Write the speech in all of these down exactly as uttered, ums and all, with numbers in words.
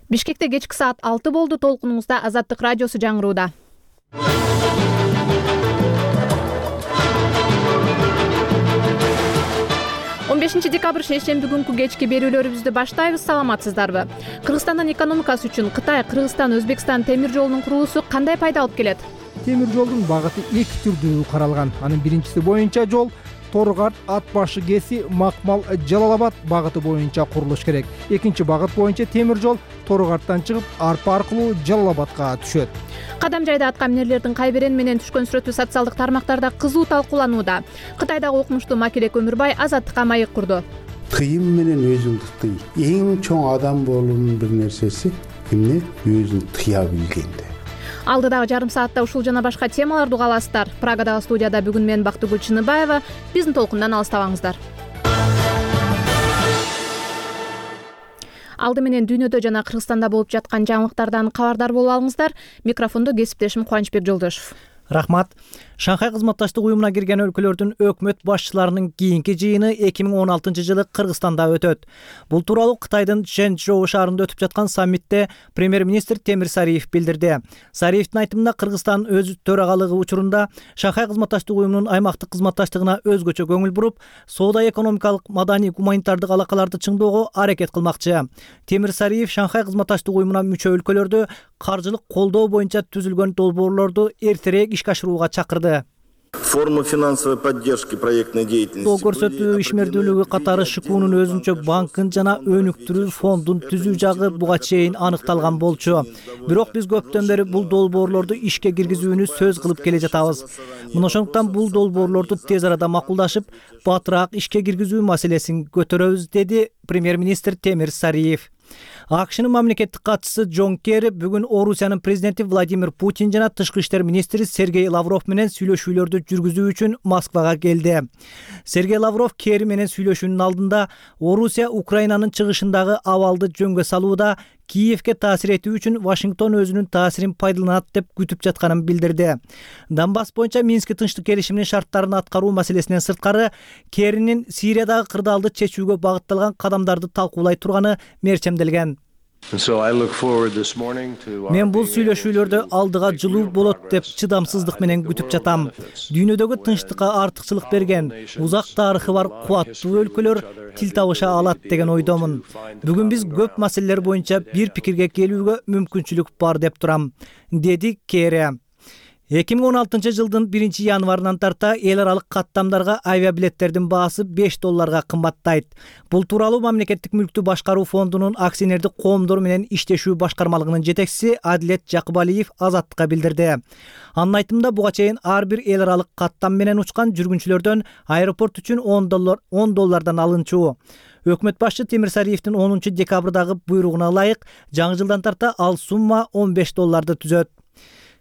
Бишкекте кечки саат алты болду. Толкунуңузда Азаттык радиосу жаңырууда. он бешинчи декабрь шейшемби күнкү кечки берүүлөрүбүздү баштайбыз. Саламатсыздарбы? Кыргызстандын экономикасы үчүн Кытай, Кыргызстан, Өзбекстан темир жолунун курулуусу кандай пайда алып келет? Темир жолдун багыты эки түрдүү каралган. Анын биринчиси боюнча жол Торгарт, Ат башы Кеси, Макмал, Жалал-Абад багыты боюнча курулуш керек. Экинчи багыт боюнча темир жол Торгарттан чыгып, Арпа аркылуу Жалал-Абадка түшөт. Кадам жайда атка минерлердин кайберен менен түшкөн сүрөтү социалдык тармактарда кызуу талкууланууда. Кытайдагы окумуштуу Макелек Өмүрбай Азаттыкка маек курду. Тыйым менен өзүңдү тый. Эң чоң адам болуунун бир нерсеси эмне? Өзүн тыя билгенде. Алдыдагы жарым саатта ушул жана башка темаларды уга аласыздар. Прагадагы студияда бүгүн мен Бактыгүл Чыныбаева. Биздин толкундан алыстабаңыздар. Алды менен дүйнөдө жана Кыргызстанда болуп жаткан жаңылыктардан кабардар боло алыңыздар. Микрофондо кесиптешим Кубанычбек Жолдошов. Рахмат. Шанхай кызматташтык уюмуна кирген өлкөлөрдүн өкмөт башчыларынын кийинки жыйыны эки миң он алтынчы жылы Кыргызстанда өтөт. Бул тууралуу Кытайдын Чжэнчжоу шаарында өтүп жаткан саммитте премьер-министр Темир Сариев билдирди. Сариевдин айтымында Кыргызстан өз төрагалыгы учурунда Шанхай кызматташтык уюмунун аймактык кызматташтыгына өзгөчө көңүл буруп, соода-экономикалык, маданий, гуманитардык алакаларды чыңдоого аракет кылмакчы. Темир Сариев Шанхай кызматташтык уюмуна мүчө өлкөлөрдө каржылык колдоо боюнча түзүлгөн долбоорлорду эртерээк ишке ашырууга чакырды. Форма финансовой поддержки проектной деятельности. Тоо көрсөтүү ишмердүүлүгү катары ШКУнун өзүнчө банкын жана өнүктүрүү фондун түзүү жагы буга чейин аныкталган болчу. Бирок биз көптөн бери бул долбоорлорду ишке киргизүүнү сөз кылып келе жатабыз. Мына ошондуктан бул долбоорлорду тез арада макулдашып, батыраак ишке киргизүү маселесин көтөрөбүз, деди премьер-министр Темир Сариев. АКШнын мамлекеттик катчысы Джон Керри бүгүн Орусиянын президенти Владимир Путин жана тышкы иштер министри Сергей Лавров менен сүйлөшүүлөрдү жүргүзүү үчүн Москвага келди. Сергей Лавров Керри менен сүйлөшүүнүн алдында Орусия Украинанын чыгышындагы абалды жөнгө салууда Киевке таасир этүү үчүн Вашингтон өзүнүн таасирин пайдаланат деп күтүп жатканын билдирди. Донбасс боюнча Минск тынчтык келишиминин шарттарын аткаруу маселесинен сырткары Керринин Сириядагы кырдаалды чечүүгө багытталган кадамдарды талкуулай турганы мерчемделген. Мен бул сүйлөшүүлөрдө алдыга жылуу болот деп чыдамсыздык менен күтүп жатам. Дүйнөдөгү тынчтыкка артыкчылык берген, узак тарыхы бар кубаттуу өлкөлөр тил табыша алат деген ойдомун. Бүгүн биз көп маселелер боюнча бир пикирге келүүгө мүмкүнчүлүк бар деп турам, деди Керри. эки миң он алтынчы жылдын биринчи январынан тарта эл аралык каттамдарга авиабилеттердин баасы беш долларга кымбаттайт. Бул тууралуу мамлекеттик мүлктү башкаруу фондунун акционердик коомдор менен иштешүү башкармалыгынын жетекчиси Адилет Жакыбалиев Азаттыкка билдирди. Анын айтымында буга чейин ар бир эл аралык каттам менен учкан жүргүнчүлөрдөн аэропорт үчүн он доллар он доллардан алынчу. Өкмөт башчы Темир Сариевдин онунчу декабрдагы буйругуна ылайык жаңы жылдан тарта ал сумма он беш долларды түзөт.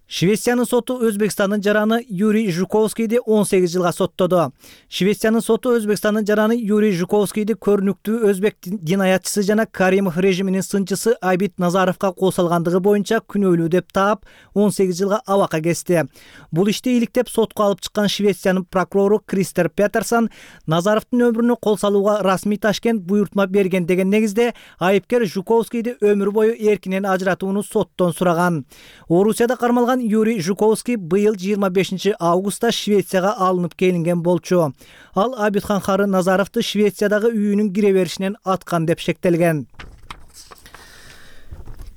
Швециянын соту Өзбекстандын жараны Юрий Жуковскийди он сегиз жылга соттоду. Швециянын соту Өзбекстандын жараны Юрий Жуковскийди көрүнүктүү өзбек динаятчысы жана Каримов режиминин сынчысы Айбит Назаровго кол салгандыгы боюнча күнөөлүү деп таап, он сегиз жылга абакка кести. Бул ишти иликтеп сотко алып чыккан Швециянын прокурору Кристер Петерсон Назаровдун өмүрүнө кол салууга расмий Ташкент буйртма берген деген негизде айыпкер Жуковскийди өмүр бою эркинен ажыратууну соттон сураган. Орусияда кармалган Юрий Жуковский быйыл жыйырма бешинчи августта Швецияга алынып келинген болчу. Ал Абитхан Хары Назаровду Швециядагы үйүнүн кире беришинен аткан деп шектелген.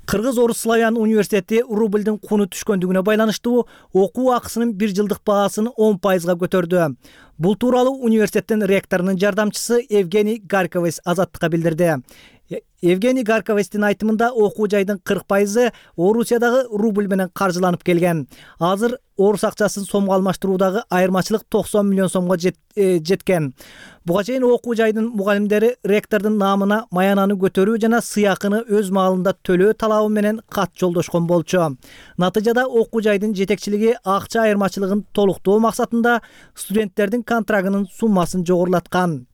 Кыргыз-Орус славян университети рубльдин куну түшкөндүгүнө байланыштуу окуу акысынын бир жылдык баасын он пайызга көтөрдү. Бул тууралуу университеттин ректорунун жардамчысы Евгений Гарковец Азаттыкка билдирди. Евгений Гарковецтин айтымында окуу жайдын кырк пайызы Орусиядагы рубль менен каржыланып келген. Азыр орус акчасын сомго алмаштыруудагы айырмачылык токсон миллион сомго жет, э, жеткен. Буга чейин окуу жайдын мугалимдери ректордун наамына маянаны көтөрүү жана сыйакыны өз маалында төлөө талабы менен кат жолдошкон болчу. Натыйжада окуу жайдын жетекчилиги акча айырмачылыгын толуктоо максатында студенттердин контрагынын суммасын жогорулаткан.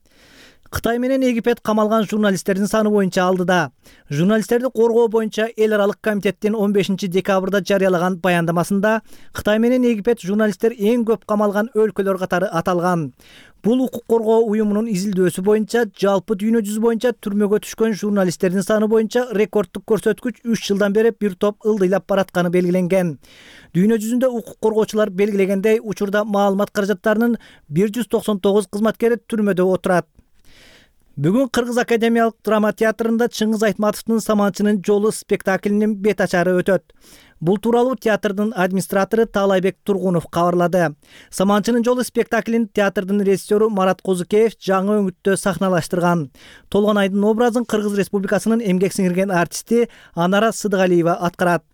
Кытай менен Египет камалган журналисттердин саны боюнча алдыда. Журналисттерди коргоо боюнча эл аралык комитеттин он бешинчи декабрда жарыялаган баяндамасында Кытай менен Египет журналисттер эң көп камалган өлкөлөр катары аталган. Бул укук коргоо уюмунун изилдөөсү боюнча жалпы дүйнө жүзү боюнча түрмөгө түшкөн журналисттердин саны боюнча рекорддук көрсөткүч үч жылдан бери бир топ ылдыйлап баратканы белгиленген. Дүйнө жүзүндө укук коргоочулар белгилегендей, учурда маалымат каражаттарынын бир жүз токсон тогуз кызматкери түрмөдө отурат. Бүгүн Кыргыз академиялык драма театрында Чыңгыз Айтматовдун Саманчынын жолу спектаклинин бет ачары өтөт. Бул тууралуу театрдын администратору Таалайбек Тургунов кабарлады. Саманчынын жолу спектаклин театрдын режиссеру Марат Козукеев жаңы өңүттө сахналаштырган. Толгонайдын образын Кыргыз Республикасынын эмгек сиңирген артисти Анара Сыдыгалиева аткарат.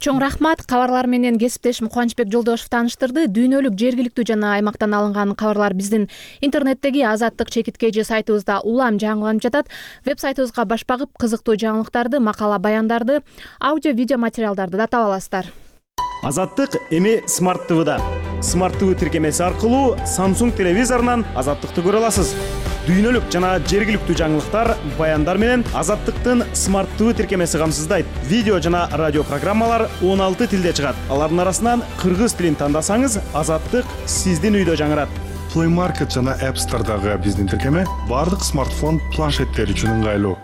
Чоң рахмат. Кабарлар менен кесиптешим Кубанычбек Жолдошев тааныштырды. Дүйнөлүк, жергиликтүү жана аймактан алынган кабарлар биздин интернеттеги Азаттык чекиткеji сайтыбызда улам жаңыланып жатат. Веб-сайтыбызга баш багып, кызыктуу жаңылыктарды, макала баяндарды, аудио видео материалдарды да таба аласыздар. Азаттык эми Smart ти ви-да. Smart ти ви тиркемеси аркылуу Samsung телевизорунан Азаттыкты көрө аласыз. Дүйнөлүк жана жергиликтүү жаңылыктар, баяндар менен Азаттыктын Smart ти ви тиркемеси камсыздайт. Видео жана радио программалар он алты тилде чыгат. Алардын арасынан кыргыз тилин тандасаңыз, Азаттык сиздин үйдө жаңырат. Play Market жана App Store'дагы биздин тиркеме бардык смартфон, планшеттер үчүн ыңгайлуу.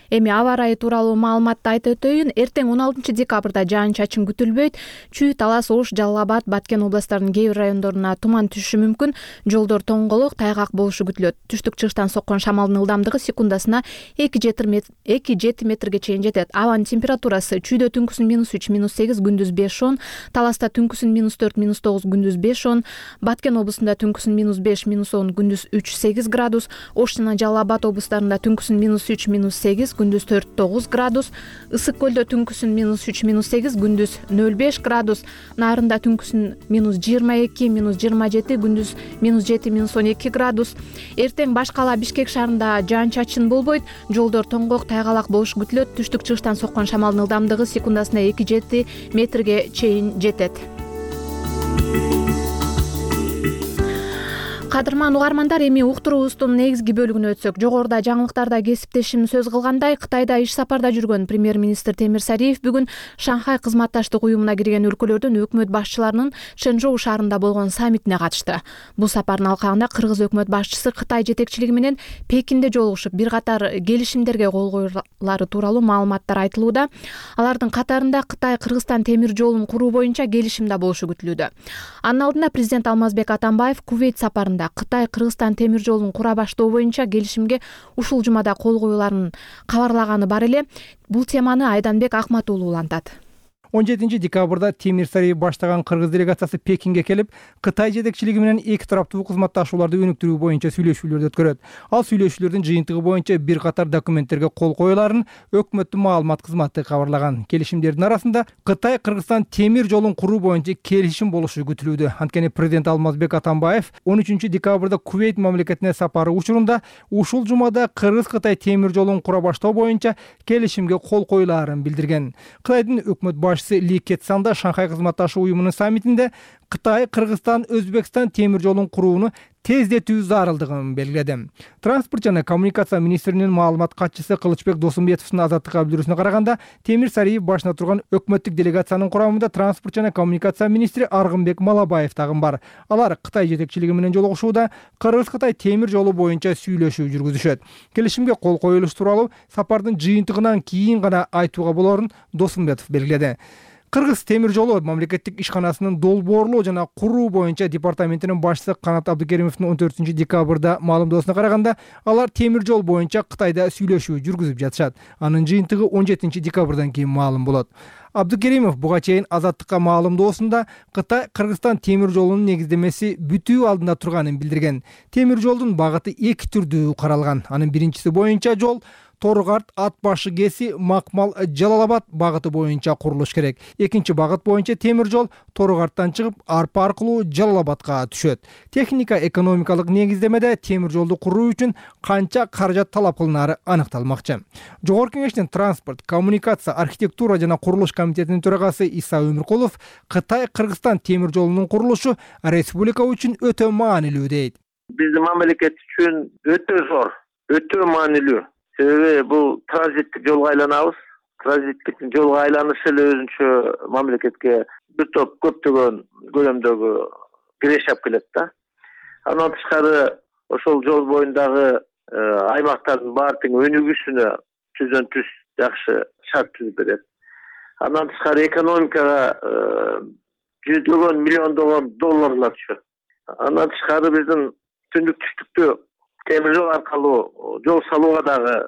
Эми аба ырайы тууралуу маалыматты айтып өтөйүн. Эртең он алтынчы декабрда жаан-чачын күтүлбөйт. Чүй, Талас, Ош, Жалал Абад, Баткен областарынын кээ бир райондоруна туман түшүшү мүмкүн. Жолдор тоңголук, тайгак болушу күтүлөт. Түштүк-чыгыштан соккон шамалдын ылдамдыгы секундасына эки жети метрге чейин жетет. Абанын температурасы чүйдө түнкүсүн минус үч, минус сегиз, күндүз беш он, Таласта түнкүсүн минус төрт, минус тогуз, күндүз беш он, Баткен облусунда түнкүсүн минус беш, минус он, күндүз үч, сегиз градус, Ош жана Жалал Абад облустарында түнкүсүн минус үч, минус сегиз, күндүз төрт тогуз градус, Ысык көлдө түнкүсүн минус үч, минус сегиз, күндүз нөл беш градус, Нарында түнкүсүн минус жыйырма эки, минус жыйырма жети, күндүз минус жети, минус он эки градус. Эртең баш кала Бишкек шаарында жаан-чачын болбойт, жолдор тоңгок, тайгалак болушу күтүлөт. Түштүк-чыгыштан соккон шамалдын ылдамдыгы секундасына эки жети метрге чейин жетет. Кадырман угармандар, эми уктуруубуздун негизги бөлүгүнө өтсөк. Жогоруда жаңылыктарда кесиптешим сөз кылгандай, Кытайда иш сапарда жүргөн премьер-министр Темир Сариев бүгүн Шанхай кызматташтык уюмуна кирген өлкөлөрдүн өкмөт башчыларынын Чэнчжоу шаарында болгон саммитине катышты. Бул сапардын алкагында Кыргыз өкмөт башчысы Кытай жетекчилиги менен Пекинде жолугушуп, бир катар келишимдерге кол коюлары тууралуу маалыматтар айтылууда. Алардын катарында Кытай Кыргызстан темир жолун куруу боюнча келишим да болушу күтүлүүдө. Анын алдында президент Алмазбек Атамбаев Кувейт сапарында Кытай Кыргызстан темир жолун кура баштоо боюнча келишимге ушул жумада кол коюларын кабарлаганы бар эле. Бул теманы Айданбек Акмат уулу улантат. он жетинчи декабрда Темир Сариев баштаган кыргыз делегациясы Пекинге келип, Кытай жетекчилиги менен эки тараптуу кызматташууларды өнүктүрүү боюнча сүйлөшүүлөрдү өткөрөт. Ал сүйлөшүүлөрдүн жыйынтыгы боюнча бир катар документтерге кол коюларын өкмөттүн маалымат кызматы кабарлаган. Келишимдердин арасында Кытай Кыргызстан темир жолун куруу боюнча келишим болушу күтүлүүдө. Анткени президент Алмазбек Атамбаев он үчүнчү декабрда Кувейт мамлекетине сапары учурунда ушул жумада Кыргыз-Кытай темир жолун кура баштоо боюнча келишимге кол коюларын билдирген. Кытайдын өкмөт башчысы Ли Кетсан да Шанхай кызматташуу уюмунун саммитинде Кытай, Кыргызстан, Өзбекстан темир жолун курууну тездетүү зарылдыгын белгиледи. Транспорт жана коммуникация министринин маалымат катчысы Кылычбек Досумбетовдун Азаттыкка билдирүүсүнө караганда, Темир Сариев башына турган өкмөттүк делегациянын курамында транспорт жана коммуникация министри Аргынбек Малабаев дагы бар. Алар Кытай жетекчилиги менен жолугушууда Кыргыз-Кытай темир жолу боюнча сүйлөшүү жүргүзүшөт. Келишимге кол коюлуш тууралуу сапардын жыйынтыгынан кийин гана айтууга болорун Досумбетов белгиледи. Кыргыз темир жолу мамлекеттик ишканасынын долбоорлоо жана куруу боюнча департаментинин башчысы Канат Абдыкеримовдун он төртүнчү декабрда маалымдоосуна караганда, алар темир жол боюнча Кытайда сүйлөшүү жүргүзүп жатышат. Анын жыйынтыгы он жетинчи декабрдан кийин маалым болот. Абдыкеримов буга чейин Азаттыкка маалымдоосунда Кытай Кыргызстан темир жолунун негиздемеси бүтүү алдында турганын билдирген. Темир жолдун багыты эки түрдүү каралган. Анын биринчиси боюнча жол Торгарт, Ат башы кеси, Макмал, Жалал Абад багыты боюнча курулуш керек. Экинчи багыт боюнча темир жол Торгарттан чыгып, Арпа аркылуу Жалал Абадка түшөт. Техника экономикалык негиздемеде темир жолду куруу үчүн канча каражат талап кылынары аныкталмакчы. Жогорку Кеңештин транспорт, коммуникация, архитектура жана курулуш комитетинин төрагасы Иса Өмүркулов Кытай Кыргызстан темир жолунун курулушу республика үчүн өтө маанилүү дейт. Биздин мамлекет үчүн өтө зор, өтө маанилүү. Себеби бул транзиттик жолго айланабыз. Транзиттик жолго айланышы эле өзүнчө мамлекетке бир топ көптөгөн көлөмдөгү киреше алып келет да. Андан тышкары ошол жол боюндагы аймактардын баары тең өнүгүүсүнө түздөн түз жакшы шарт түзүп берет. Андан тышкары экономикага жүздөгөн миллиондогон долларлар түшөт. Андан тышкары биздин түндүк түштүктө темир жол аркылуу жол салууга дагы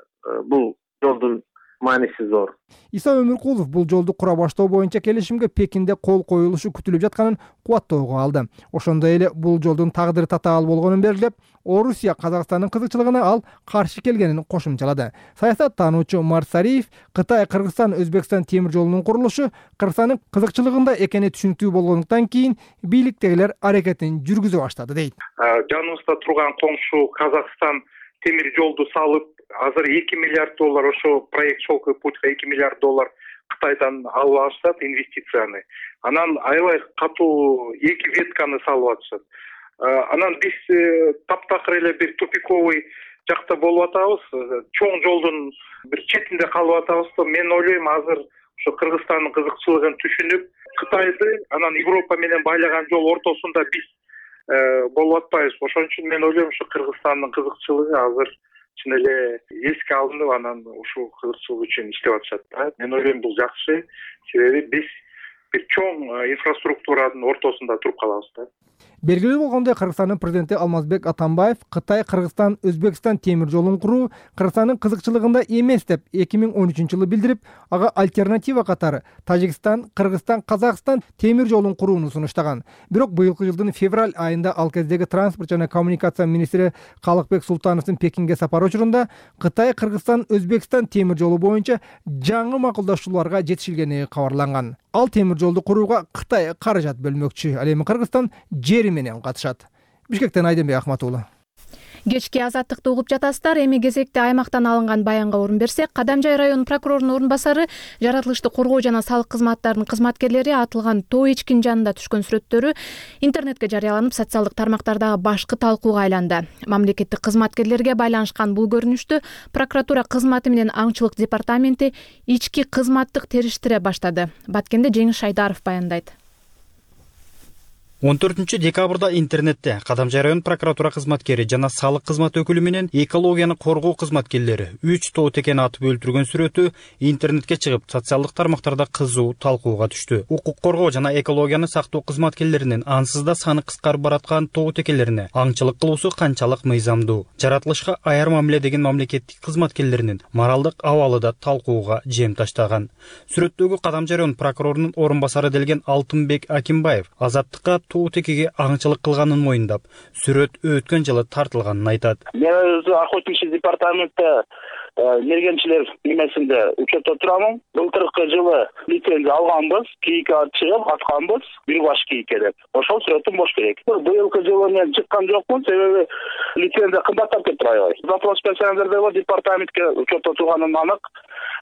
бул жолдун мааниси зор. Иса Өмүркулов бул жолду кура баштоо боюнча келишимге Пекинде кол коюлушу күтүлүп жатканын кубаттоого алды. Ошондой эле бул жолдун тагдыры татаал болгонун белгилеп, Орусия Казакстандын кызыкчылыгына ал каршы келгенин кошумчалады. Саясаттануучу Марсариев Кытай, Кыргызстан, Өзбекстан темир жолунун курулушу Кыргызстандын кызыкчылыгында экени түшүнүктүү болгондуктан кийин бийликтегилер аракетин жүргүзө баштады дейт. Жаныбызда турган коңшу Казакстан темир жолду салып, азыр эки миллиард доллар ошо проект «Шелковый путь» эки миллиард доллар Кытайдан алып алышат инвестицияны. Анан аябай катуу эки ветканы салып атышат. Анан биз таптакыр эле бир тупиковый жакта болуп атабыз. Чоң жолдун бир четинде калып атабыз. Мен ойлойм, азыр ошо Кыргызстандын кызыкчылыгын түшүнүп, Кытайды анан Европа менен байлаган жол ортосунда биз болуп атпайбыз. Ошон үчүн мен ойлойм, ошо Кыргызстандын кызыкчылыгы азыр чын эле эске алынып, анан ушул кызыкчылык үчүн иштеп атышат. Мен ойлойм, бул жакшы, себеби биз бир чоң инфраструктуранын ортосунда туруп калабыз да. Белгилүү болгондой, Кыргызстандын президенти Алмазбек Атамбаев Кытай, Кыргызстан, Өзбекстан темир жолун куруу Кыргызстандын кызыкчылыгында эмес деп эки миң он үчүнчү жылы билдирип, ага альтернатива катары Тажикстан, Кыргызстан, Казакстан темир жолун курууну сунуштаган. Бирок быйылкы жылдын февраль айында ал кездеги транспорт жана коммуникация министри Калыкбек Султановдун Пекинге сапары учурунда Кытай, Кыргызстан, Өзбекстан темир жолу боюнча жаңы макулдашууларга жетишилгени кабарланган. Ал темир жолду курууга Кытай каражат бөлмөкчү. Ал эми Кыргызстан жери менен катышат. Бишкектен Айденбек Ахмат уулу. Кечки азаттыкты угуп жатасыздар. Эми кезекте аймактан алынган баянга орун берсек, Кадамжай районунун прокурорунун орун басары жаратылышты коргоо жана салык кызматтарынын кызматкерлери атылган тоо эчкинин жанында түшкөн сүрөттөрү интернетке жарыяланып, социалдык тармактардагы башкы талкууга айланды. Мамлекеттик кызматкерлерге байланышкан бул көрүнүштү прокуратура кызматы менен аңчылык департаменти ички кызматтык териштире баштады. Баткенде Жеңиш Шайдаров баяндайт. он төртүнчү декабрда интернетте Кадамжай район прокуратура кызматкери жана салык кызмат өкүлү менен экологияны коргоо кызматкерлери үч тоо текени атып өлтүргөн сүрөтү интернетке чыгып, социалдык тармактарда кызуу талкууга түштү. Укук коргоо жана экологияны сактоо кызматкерлеринин ансыз да саны кыскарып бараткан тоо текелерине аңчылык кылуусу канчалык мыйзамдуу, жаратылышка аяр мамиле деген мамлекеттик кызматкерлеринин моралдык абалы да талкууга жем таштаган. Сүрөттөгү Кадамжай район прокурорунун орун басары делген Алтынбек Акимбаев азаттыкка тоо текеге аңчылык кылганын моюндап, сүрөт өткөн жылы тартылганын айтат. Мен өзү охотничий департаментте мергенчилер немесинде учетто турамын. Былтыркы жылы лицензия алганбыз, кийикке чыгып атканбыз, бир баш кийикке деп. Ошол сүрөтүм бош керек. Быйылкы жылы мен чыккан жокмун, себеби лицензия кымбаттап кетти аябай. Запрос берсеңиздер департаментке учетто турганым анык,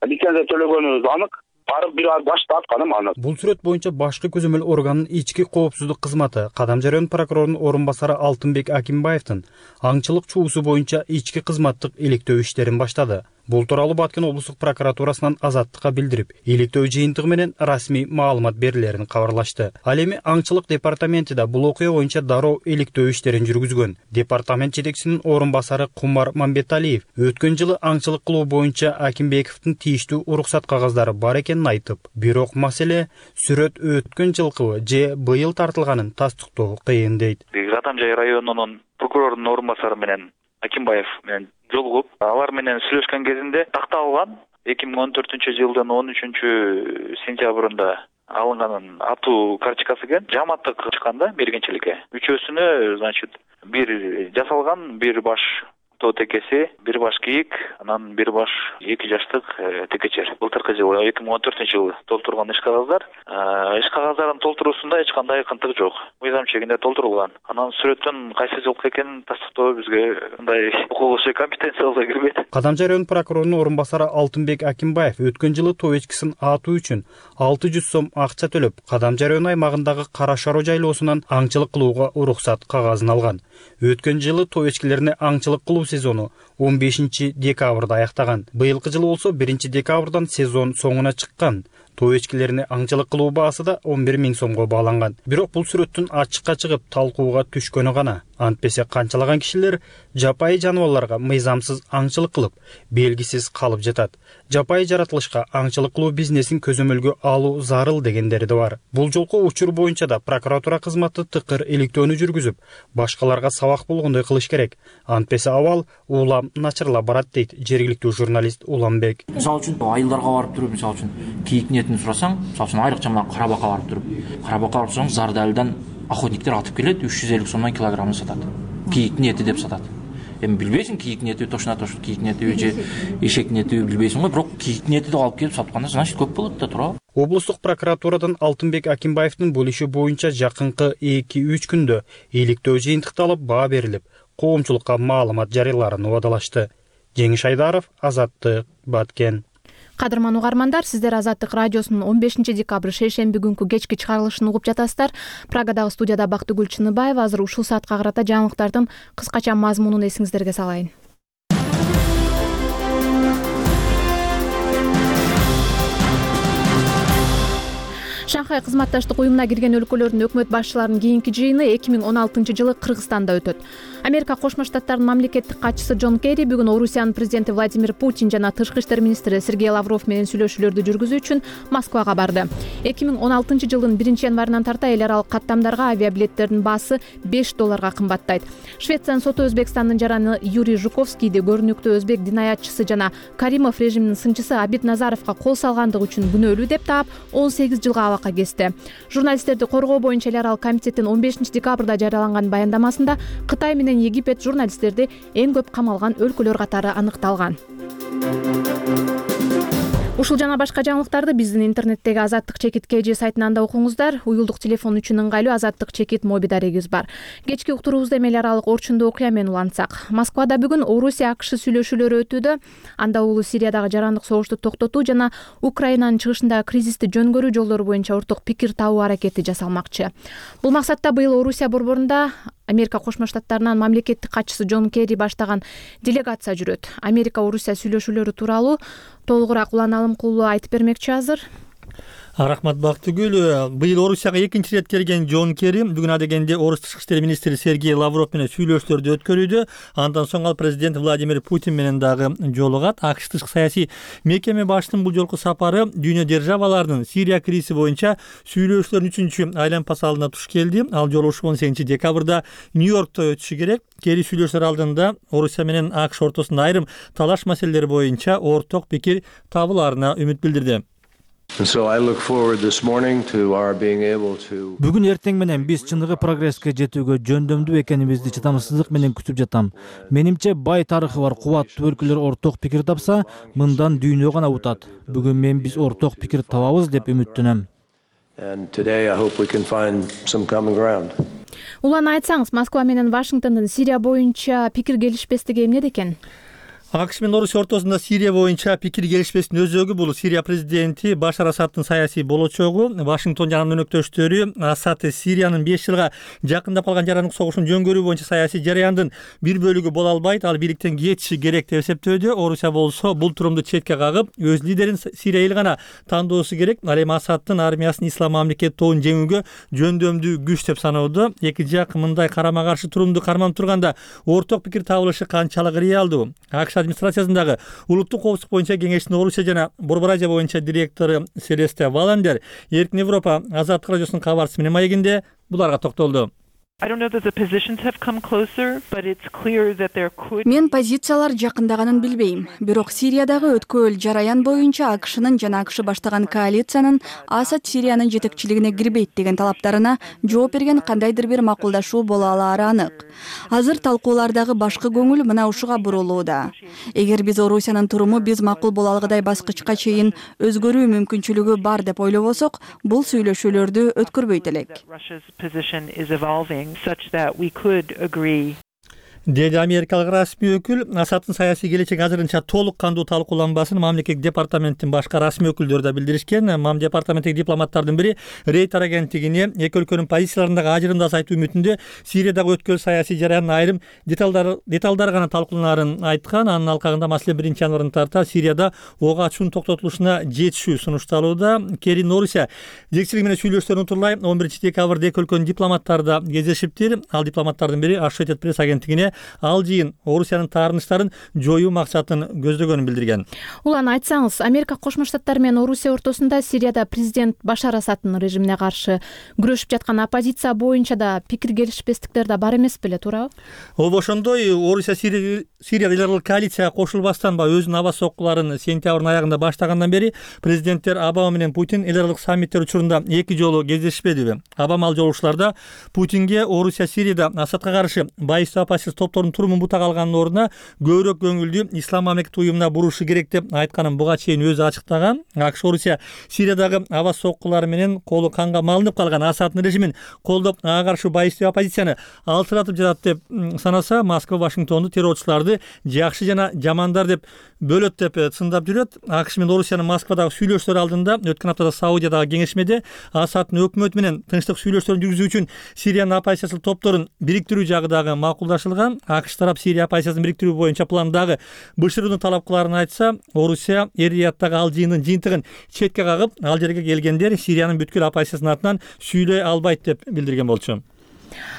лицензия төлөгөнүбүз анык. Барып бир башта атканым анык. Бул сүрөт боюнча башкы көзөмөл органынын ички коопсуздук кызматы Кадамжай район прокурорунун орун басары Алтынбек Акимбаевдин аңчылык чуусу боюнча ички кызматтык иликтөө иштерин баштады. Бул тууралуу Баткен облустук прокуратурасынан азаттыкка билдирип, иликтөө жыйынтыгы менен расмий маалымат берилерин кабарлашты. Ал эми аңчылык департаменти да бул окуя боюнча дароо иликтөө иштерин жүргүзгөн. Департамент жетекчисинин орун басары Кумар Мамбеталиев өткөн жылы аңчылык кылуу боюнча Акимбековдун тийиштүү уруксат кагаздары бар экенин айтып, бирок маселе сүрөт өткөн жылкы же быйыл тартылганын тастыктоо кыйын дейт. Кадамжай районунун прокурорунун орун басары менен Акимбаев менен жолугуп, алар менен сүйлөшкөн кезинде такталган эки миң он төртүнчү жылдын он үчүнчү сентябрында алынганын атуу карточкасы экен. Жаматтык чыкканда мергенчиликке. Үчөөсүнө, значит, бир жасалган, бир баш тоо текеси, бир баш кийик, анан бир баш эки жаштык текечер. Былтыркы жылы эки миң он төртүнчү жылы толтурган иш кагаздар, иш кагаздарын толтуруусунда эч кандай кынтык жок. Мыйзам чегинде толтурулган. Анан сүрөттүн кайсы жылкы экенин тастыктоо бизге мындай укугуй компетенциябызга кирбейт. Кадамжай район прокурорунун орун басары Алтынбек Акимбаев өткөн жылы тоо эчкисин атуу үчүн алты жүз сом акча төлөп, Кадамжай район аймагындагы Кара Шароо жайлоосунан аңчылык кылууга уруксат кагазын алган. Өткөн жылы той эчкилерине аңчылык кылуу сезону он бешинчи декабрда аяктаган. Быйылкы жылы болсо биринчи декабрдан сезон соңуна чыккан. Той эчкилерине аңчылык кылуу баасы да он бир миң сомго бааланган. Бирок бул сүрөттүн ачыкка чыгып талкууга түшкөнү гана. Антпесе канчалаган кишилер жапайы жаныбарларга мыйзамсыз аңчылык кылып, белгисиз калып жатат. Жапайы жаратылышка аңчылык кылуу бизнесин көзөмөлгө алуу зарыл дегендери да бар. Бул жолку учур боюнча да прокуратура кызматы тыкыр иликтөөнү жүргүзүп, башкаларга сабак болгондой кылыш керек. Антпесе абал улам начарлап барат дейт жергиликтүү журналист Уламбек. Мисалы үчүн айылдарга барып туруп, мисалы үчүн кийик нетин сурасаң, мисалы үчүн айрыкча мына карабакка барып туруп, карабакка барып сурасаң, Зардалдан охотниктер атып келет, үч жүз элүү сомдон килограммын сатат. Кийик нети деп сатат. Эми билбейсиң, кийик нети точно точно кийик нети же эшек нети билбейсиң го, бирок кийик нети деп алып келип сатканда значит көп болот да, туура. Облустук прокуратурадан Алтынбек Акимбаевдин бул иши боюнча жакынкы эки үч күндө иликтөө жыйынтыкталып, баа берилип, коомчулукка маалымат жарыяларын убадалашты. Жеңиш Айдаров, Азаттык, Баткен. Кадырман угармандар, сиздер Азаттык радиосунун он бешинчи декабрь шейшемби күнкү кечки чыгарылышын угуп жатасыздар. Прагадагы студияда Бактыгүл Чыныбаева. Азыр ушул саатка карата жаңылыктардын кыскача мазмунун эсиңиздерге салайын. Шанхай кызматташтык уюмуна кирген өлкөлөрдүн өкмөт башчыларынын кийинки жыйыны эки миң он алтынчы жылы Кыргызстанда өтөт. Америка Кошмо Штаттарынын мамлекеттик катчысы Джон Керри бүгүн Орусиянын президенти Владимир Путин жана тышкы иштер министри Сергей Лавров менен сүйлөшүүлөрдү жүргүзүү үчүн Москвага барды. эки миң он алтынчы жылдын биринчи январынан тарта эл аралык каттамдарга авиабилеттердин баасы беш долларга кымбаттайт. Швециянын соту Өзбекстандын жараны Юрий Жуковскийди көрүнүктүү өзбек динаятчысы жана Каримов режиминин сынчысы Абид Назаровго кол салгандыгы үчүн күнөөлүү деп таап он сегиз жылга абакка кести. Журналисттерди коргоо боюнча эл аралык комитеттин он бешинчи декабрда жарыяланган баяндамасында Кытай менен Египет журналисттерди эң көп камалган өлкөлөр катары аныкталган. Ушул жана башка жаңылыктарды биздин интернеттеги Азаттык чекит кж сайтынан да окуңуздар. Уюлдук телефон үчүн ыңгайлуу Азаттык чекит моби дарегибиз бар. Кечки уктуруубузда эми эл аралык орчундуу окуя менен улантсак. Москвада бүгүн Орусия АКШ сүйлөшүүлөрү өтүүдө. Анда улуу Сириядагы жарандык согушту токтотуу жана Украинанын чыгышындагы кризисти жөнгөрүү жолдору боюнча орток пикир табуу аракети жасалмакчы. Бул максатта быйыл Орусия борборунда Америка Кошмо Штаттарынын мамлекеттик катчысы Джон Керри баштаган делегация жүрөт. Америка Орусия сүйлөшүүлөрү тууралуу толугураак улан алымкулуу айтып бермекчи азыр. Рахмат Бактыгүл. Быйыл Орусияга экинчи ирет келген Джон Керри бүгүн адегенде Орус тышкы иштер министри Сергей Лавров менен сүйлөшүүлөрдү өткөрүүдө. Андан соң ал президент Владимир Путин менен дагы жолугат. АКШ тышкы саясий мекеме башчысынын бул жолку сапары дүйнө державаларынын Сирия кризиси боюнча сүйлөшүүлөрдүн үчүнчү айланпасалына туш келди. Ал жолу ушул он сегизинчи декабрда Нью-Йоркто өтүшү керек. Керри сүйлөшүүлөр алдында Орусия менен АКШ ортосунда айрым талаш маселелери боюнча орток пикир табылаарына үмүт билдирди. Бүгүн эртең менен биз чыныгы прогресске жетүүгө жөндөмдүү экенибизди чыдамсыздык менен күтүп жатам. Менимче бай тарыхы бар кубаттуу өлкөлөр орток пикир тапса, мындан дүйнө гана утат. Бүгүн мен биз орток пикир табабыз деп үмүттөнөм. Улан айтсаңыз, Москва менен Вашингтондун Сирия боюнча пикир келишпестиги эмнеде экен? АКШ менен Орусия ортосунда Сирия боюнча пикир келишпестин өзөгү бул Сирия президенти Башар Асадтын саясий болочогу. Вашингтон жана өнөктөштөрү Асад Сириянын беш жылга жакындап калган жарандык согушун жөнгөрүү боюнча саясий жараяндын бир бөлүгү боло албайт, ал бийликтен кетиши керек деп эсептөөдө. Орусия болсо бул турумду четке кагып, өз лидерин Сирия эл гана тандоосу керек. Ал эми Асадтын армиясын ислам мамлекет тобун жеңүүгө жөндөмдүү күч деп саноодо. Эки жак мындай карама каршы турумду карманып турганда орток пикир табылышы канчалык реалдуу? АКШ администрациясындагы улуттук коопсуздук боюнча кеңештин Орусия жана Борбор Азия боюнча директору Селесте Валандер Эркин Европа Азаттык радиосунун кабарчысы менен маегинде буларга токтолду. Мен позициялар жакындаганын билбейм. Бирок Сириядагы өткөөл жараян боюнча АКШнын жана АКШ баштаган коалициянын Асад Сириянын жетекчилигине кирбейт деген талаптарына жооп берген кандайдыр бир макулдашуу боло алаары анык. Азыр талкуулардагы башкы көңүл мына ушуга бурулууда. Эгер биз Орусиянын туруму биз макул боло алгыдай баскычка чейин өзгөрүү мүмкүнчүлүгү бар деп ойлобосок, бул сүйлөшүүлөрдү өткөрбөйт элек. деди америкалык расмий өкүл. Асадтын саясий келечеги азырынча толук кандуу талкууланбасын мамлекеттик департаменттин башка расмий өкүлдөрү да билдиришкен. Мам департаменттеги дипломаттардын бири Рейтер агенттигине эки өлкөнүн позицияларындагы ажырымды азайтуу үмүтүндө Сириядагы өткөн саясий жараянын айрым деталдары деталдары гана талкууланаарын айткан. Анын алкагында маселе биринчи январдан тарта Сирияда ок ачуунун токтотулушуна жетишүү сунушталууда. Керин Орусия жетекчилиги менен сүйлөшүүлөрүн утурлай он биринчи декабрда эки өлкөнүн дипломаттары да кездешиптир. Ал дипломаттардын бири Associated Press агенттигине ал жыйын Орусиянын таарынычтарын жоюу максатын көздөгөнүн билдирген. Улан айтсаңыз, Америка Кошмо Штаттары менен Орусия ортосунда Сирияда президент Башар Асадтын режимине каршы күрөшүп жаткан оппозиция боюнча да пикир келишпестиктер да бар эмес беле, туурабы? Ооба, ошондой. Орусия Сирия элдарлык коалицияга кошулбастан ба өзүнүн аба соккуларын сентябрдын аягында баштагандан бери президенттер Обама менен Путин элдарлык саммиттер учурунда эки жолу кездешпедиби? Обама ал жолугушууларда Путинге Орусия Сирияда Асадка каршы байыстуу оппозиция топтордун турумун бутак алганын ордуна көбүрөөк көңүлдү ислам мамлекети уюмуна бурушу керек деп айтканын буга чейин өзү ачыктаган. АКШ Орусия Сириядагы аба соккулары менен колу канга малынып калган Асадтын режимин колдоп, ага каршы байыстуу оппозицияны алсыратып жатат деп санаса, Москва Вашингтонду террорчуларды жакшы жана жамандар деп бөлөт деп сындап жүрөт. АКШ менен Орусиянын Москвадагы сүйлөшүүлөр алдында өткөн аптада Саудиядагы кеңешмеде Асадтын өкмөтү менен тынчтык сүйлөшүүлөрүн жүргүзүү үчүн Сириянын оппозициялык топторун бириктирүү жагы дагы макулдашылган. АКШ тарап Сирия оппозициясын бириктирүү боюнча пландагы бышырууну талап кылаарын айтса, Орусия Эр-Рияттагы ал жыйындын жыйынтыгын четке кагып, ал жерге келгендер Сириянын бүткүл оппозициясынын атынан сүйлөй албайт деп билдирген болчу.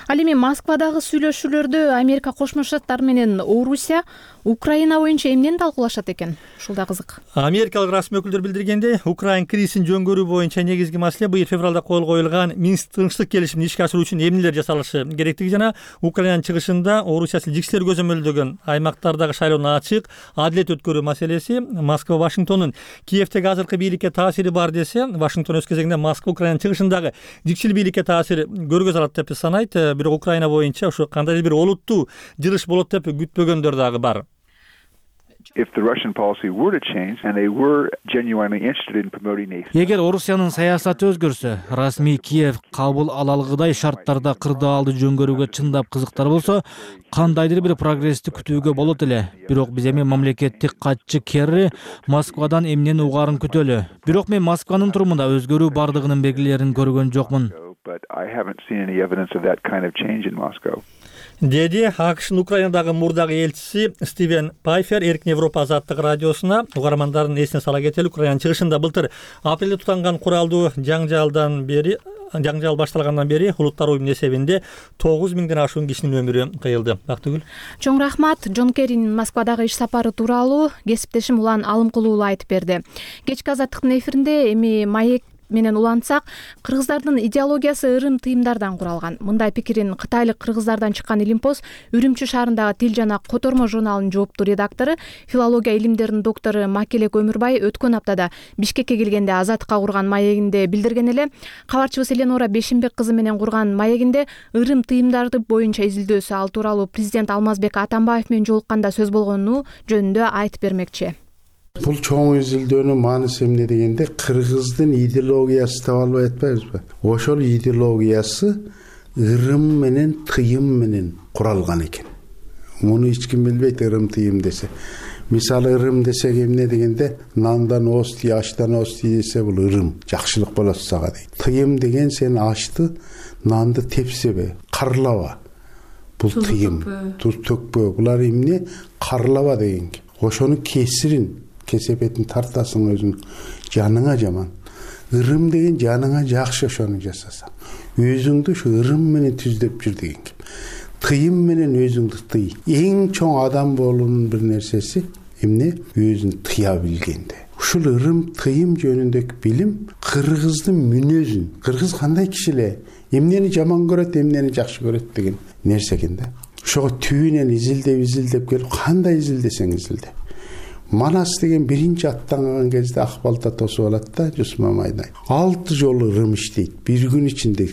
Ал эми Москвадагы сүйлөшүүлөрдө Америка Кошмо Штаттары менен Орусия Украина боюнча эмнени талкуулашат экен? Ушул да кызык. Америкалык расмий өкүлдөр билдиргендей, Украина кризисин жөнгөрүү боюнча негизги маселе быйыл февралда кол коюлган Минск тынчтык келишимин ишке ашыруу үчүн эмнелер жасалышы керектиги жана Украинанын чыгышында Орусия жикселер көзөмөлдөгөн аймактардагы шайлоону ачык, адилет өткөрүү маселеси. Москва Вашингтондун Киевдеги азыркы бийликке таасири бар десе, Вашингтон өз кезегинде Москва Украинанын чыгышындагы жикчил бийликке таасир көргөзө алат деп санайт. Бирок Украина боюнча ошо кандайдыр бир олуттуу жылыш болот деп күтпөгөндөр дагы бар. Эгер Орусиянын саясаты өзгөрсө, расмий Киев кабыл ала алгыдай шарттарда кырдаалды жөнгөрүүгө чындап кызыктар болсо, кандайдыр бир прогрессти күтүүгө болот эле. Бирок биз эми мамлекеттик катчы Керри Москвадан эмнени угаарын күтөлү. Бирок мен Москванын турумунда өзгөрүү бардыгынын белгилерин көргөн жокмун. Деди АКШнын Украинадагы мурдагы элчиси Стивен Пайфер Эркин Европа азаттык радиосуна. Угармандардын эсине сала кетели, Украинанын чыгышында былтыр апрелде тутанган куралдуу жаңжалдан бери жаңжал башталгандан бери улуттар уюмунун эсебинде тогуз миңден ашуун кишинин өмүрү кыйылды. Бактыгүл. Чоң рахмат. Джон Керринин Москвадагы иш сапары тууралуу кесиптешим Улан Алымкулуулу айтып берди. Кечки азаттыктын эфиринде эми маек менен улантсак, кыргыздардын идеологиясы ырым тыйымдардан куралган. Мындай пикирин кытайлык кыргыздардан чыккан Илимпоз Үрүмчү шаарындагы Тил жана Котормо журналынын жооптуу редактору, филология илимдеринин доктору Макелек Өмүрбай өткөн аптада Бишкекке келгенде Азаттыкка курган маегинде билдирген эле. Кабарчыбыз Эленора Бешимбек кызы менен курган маегинде ырым тыйымдарды боюнча изилдөөсү, ал тууралуу президент Алмазбек Атамбаев менен жолукканда сөз болгону жөнүндө айтып бермекчи. Бул чоң изилдөөнүн мааниси эмне дегенде, кыргыздын идеологиясы деп албай атпайбызбы? Ошол идеологиясы ырым менен тыйым менен куралган экен. Муну эч ким билбейт, ырым тыйым десе. Мисалы ырым десек эмне дегенде, нандан ости, аштан ости десе бул ырым, жакшылык болот сага дейт. Тыйым деген сен ашты, нанды тепсебе, карлаба. Бул тыйым, туз төкпө. Булар эмне? Карлаба деген. Ошону кесирин кесепетин тартасың өзүң жаныңа жаман. Ырым деген жаныңа жакшы ошону жасасаң. Өзүңдү ушу ырым менен түздөп жүр деген. Тыйым менен өзүңдү тый. Эң чоң адам болуунун бир нерсеси эмне? Өзүн тыя билгенде. Ушул ырым тыйым жөнүндөгү билим кыргыздын мүнөзүн, кыргыз кандай киши эле, эмнени жаман көрөт, эмнени жакшы көрөт деген нерсе экен да. Ошого түбүнөн изилдеп изилдеп келип, кандай изилдесең изилде. Манас деген биринчи аттанган кезде ак балта тосуп алат да, Жусмамайдай. Алты жолу ырым иштейт, бир күн ичинде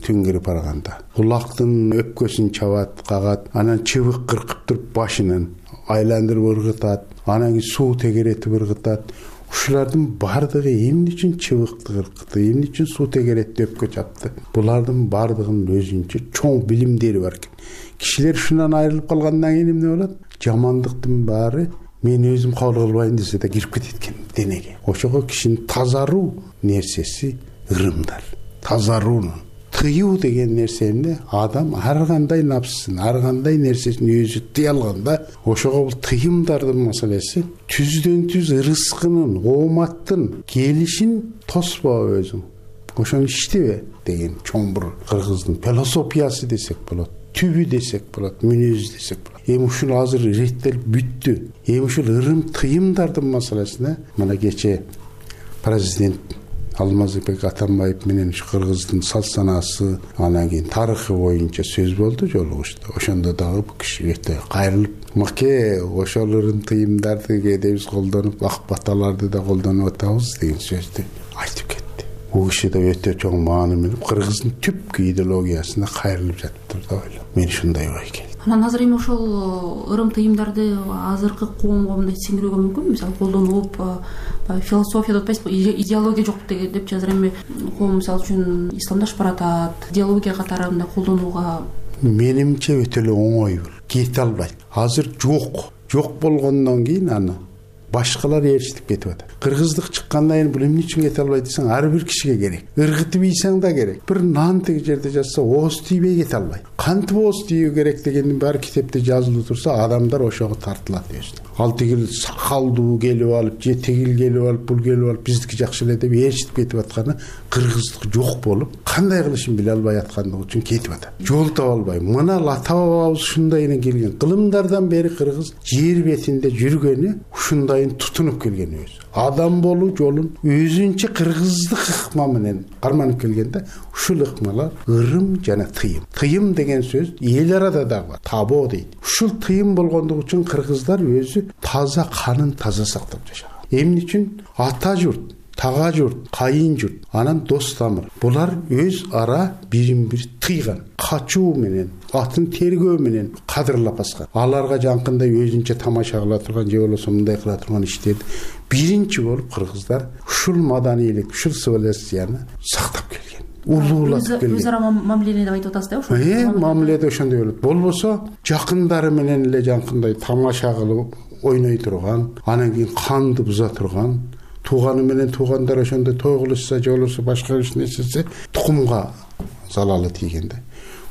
түнгөрүп барганда. Кулактын өпкөсүн чабат, кагат, анан чыбык кыркып туруп башынан айландырып ыргытат, анан суу тегеретип ыргытат. ушулардын бардыгы эмне үчүн чыбыкты кыркытты, эмне үчүн суу тегеретти өпкө чапты? Булардын бардыгынын өзүнчө чоң билимдери бар экен. Кишилер ушунан айрылып калгандан кийин эмне болот? Жамандыктын баары мен өзүм кабыл кылбайм десе да кирип кетет экен денеге. Ошого кишинин тазаруу нерсеси ырымдар. Тазаруунун тыюу деген нерсе эмне? Адам ар кандай напсын, ар кандай нерсесин өзү тыя алганда, ошого бул тыйымдардын маселеси түздөн түз ырыскынын, ооматтын келишин тоспобу өзүң. Ошону иштебе деген чоң бир кыргыздын философиясы десек болот, түбү десек болот, мүнөзү десек болот. Эми ушул азыр реттелип бүттү. Эми ушул ырым тыйымдардын маселесине мына кече президент Алмазбек Атамбаев менен ушу кыргыздын салт санаасы, анан кийин тарыхы боюнча сөз болду жолугушта. Ошондо дагы бул киши өтө кайрылып, "Маке, ошол ырым тыйымдарды кээде биз колдонуп, ак баталарды да колдонуп атабыз" деген сөздү айтып кетти. Бул киши да өтө чоң мааны менен кыргыздын түпкү идеологиясына кайрылып жатыптыр деп ойлойм. Мен ушундай ой келди. Анан азыр эми ошол ырым тыйымдарды азыркы коомго мындай сиңирүүгө мүмкүнбү? Мисалы колдонуп, философия деп атпайсызбы, идеология жок депчи азыр эми коом мисалы үчүн исламдашып баратат, идеология катары мындай колдонууга. Менимче өтө эле оңой бул. Кете албайт. Азыр жок. Жок болгондон кийин аны башкалар ээрчитип кетип атат. Кыргыздык чыккандан кийин бул эмне үчүн кете албайт десең, ар бир кишиге керек. Ыргытып ийсең да керек. Бир нан тиги жерде жатса, ооз тийбей кете албайт. Кантип ооз тийүү керек дегендин баары китепте жазылып турса, адамдар ошого тартылат өзүнө. Ал тигил сакалдуу келип алып, же тигил келип алып, бул келип алып биздики жакшы эле деп ээрчитип кетип атканы кыргыздык жок болуп, кандай кылышын биле албай аткандыгы үчүн кетип атат. Жол таба албай. Мына ата бабабыз ушундай эле келген. Кылымдардан бери кыргыз жер бетинде жүргөнү ушундай тутунуп келген өзү. Адам болуу жолун өзүнчө кыргыздык ыкма менен карманып келгенде, ушул ыкмалар ырым жана тыйым. Тыйым деген сөз эл арада да бар, табо дейт. Ушул тыйым болгондугу үчүн кыргыздар өзү таза канын таза сактап жашаган. Эмне үчүн? Ата журт, тага журт, кайын журт, анан дос тамыр. Булар өз ара бирин бири тыйган, качуу менен, атын тергөө менен кадырлап баскан. Аларга жанкындай өзүнчө тамаша кыла турган, же болбосо мындай кыла турган иштерди биринчи болуп кыргыздар ушул маданийлик, ушул цивилизацияны сактап келген. Улуулатып келген. Өз ара мамиле деп айтып атасыз да, ошол. Э, мамиледе ошондой болот. Болбосо жакындары менен эле жанкындай тамаша кылып ойной турган, анан кийин канды буза турган, тууганы менен туугандар ошондой той кылышса, же болбосо башка иш нерсесе тукумга залалы тийгенде.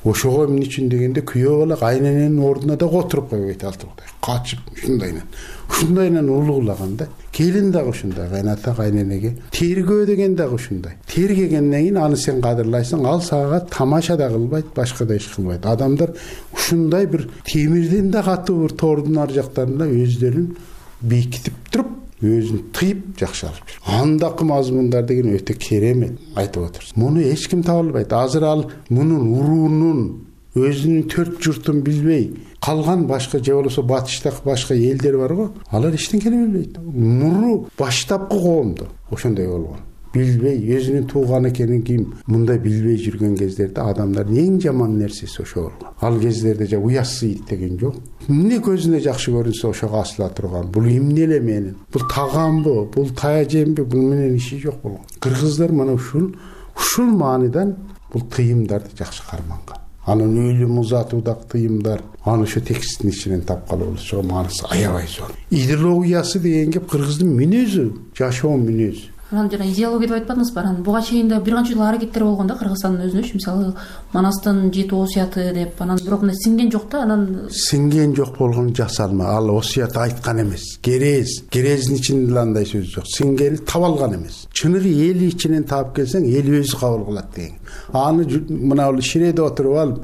Ошого эмне үчүн дегенде күйөө бала кайнененин ордуна да отуруп койбойт алтырдай. Качып ушундайнан. Ушундайнан улуулаганда, келин дагы ушундай, кайната кайненеге. Тергөө деген дагы ушундай. Тергегенден кийин аны сен кадырлайсың, ал сага тамаша да кылбайт, башка да иш кылбайт. Адамдар ушундай бир темирден да катуу бир тордун ар жактарында өздөрүн бекитип туруп, өзүн тыйып жакшы алып жүр. Андакы мазмундар деген өтө керемет айтып отурсуз. Муну эч ким таба албайт. Азыр ал мунун уруунун өзүнүн төрт журтун билбей калган башка, же болбосо батыштагы башка элдер бар го, алар эчтекени билбейт. Муру баштапкы коомдо ошондой болгон. Билбей, өзүнүн тууган экенин ким мындай билбей жүргөн кездерде адамдардын эң жаман нерсеси ошо болгон. Ал кездерде же уясыйт деген жок. Эмне көзүнө жакшы көрүнсө ошого асыла турган. Бул эмне эле менин? Бул тагамбы? Бул таяжемби? Бул менен иши жок болгон. Кыргыздар мына ушул ушул маанидан бул тыйымдарды жакшы карманган. Анын өлүм узатуудагы тыйымдар, аны ошо тексттин ичинен тапкалы болушуга маанысы аябай зор. Идеологиясы деген кеп кыргыздын мүнөзү, жашоо мүнөзү. Анан жана идеология деп айтпадыңызбы? Анан буга чейин да бир канча жыл аракеттер болгон да Кыргызстандын өзүнө, мисалы Манастын жети осуяты деп, анан бирок мына сиңген жок да, анан сиңген жок болгон жасалма. Ал осуят айткан эмес. Керез, керездин ичинде андай сөз жок. Сиңгени таап алган эмес. Чыныгы эли ичинен таап келсең, эл өзү кабыл кылат деген. Аны мына ул ширеде отуруп алып,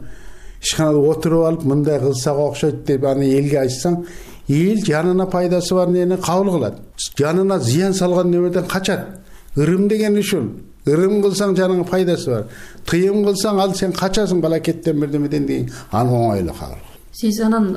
ишканада отуруп алып, мындай кылсак окшойт деп аны элге айтсаң, эл жанына пайдасы бар нени кабыл кылат. Жанына зыян салган нөмөрдөн качат. Ырым деген ушул. Ырым кылсаң жаныңа пайдасы бар. Тыйым кылсаң ал сен качасың балакеттен бирдемеден деген. Аны оңойло кабыл. Сиз анан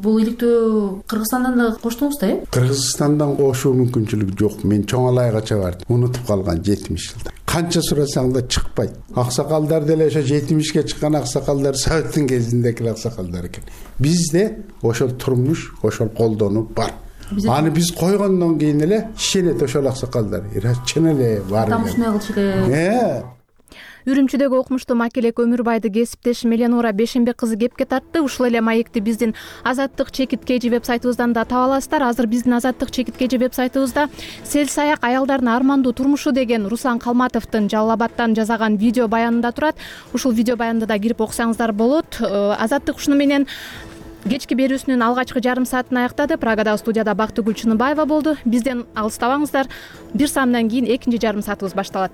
бул иликтөө Кыргызстандан да коштуңуз да, э? Кыргызстандан кошуу мүмкүнчүлүгү жок. Мен чоң алайгача бардым. Унутуп калган жетимиш жылда. Канча сурасаң да чыкпайт. Аксакалдар деле ошо жетимишке чыккан аксакалдар Советтин кезиндеки аксакалдар экен. Бизде ошол турмуш, ошол колдонуу бар. аны биз койгондон кийин эле ишенет ошол аксакалдар чын эле бар адам ушундай кылыш керек. Үрүмчүдөгү окумуштуу макелек Өмүрбайды кесиптешим Эленора Бешенбек кызы кепке тартты. Ушул эле маекти биздин Азаттык чекит kg веб-сайтыбыздан да таба аласыздар. Азыр биздин Азаттык чекит kg веб-сайтыбызда сел саяк аялдардын армандуу турмушу деген Руслан Калматовдун Жалал Абадтан жасаган видео баянында турат. Ушул видео баянды да кирип окусаңыздар болот. Азаттык ушуну менен кечки берүүсүнүн алгачкы жарым саатын аяктады. Прагадагы студияда Бактыгүл Чыныбаева болду. Бизден алыстабаңыздар. Бир саамдан кийин экинчи жарым саатыбыз башталат.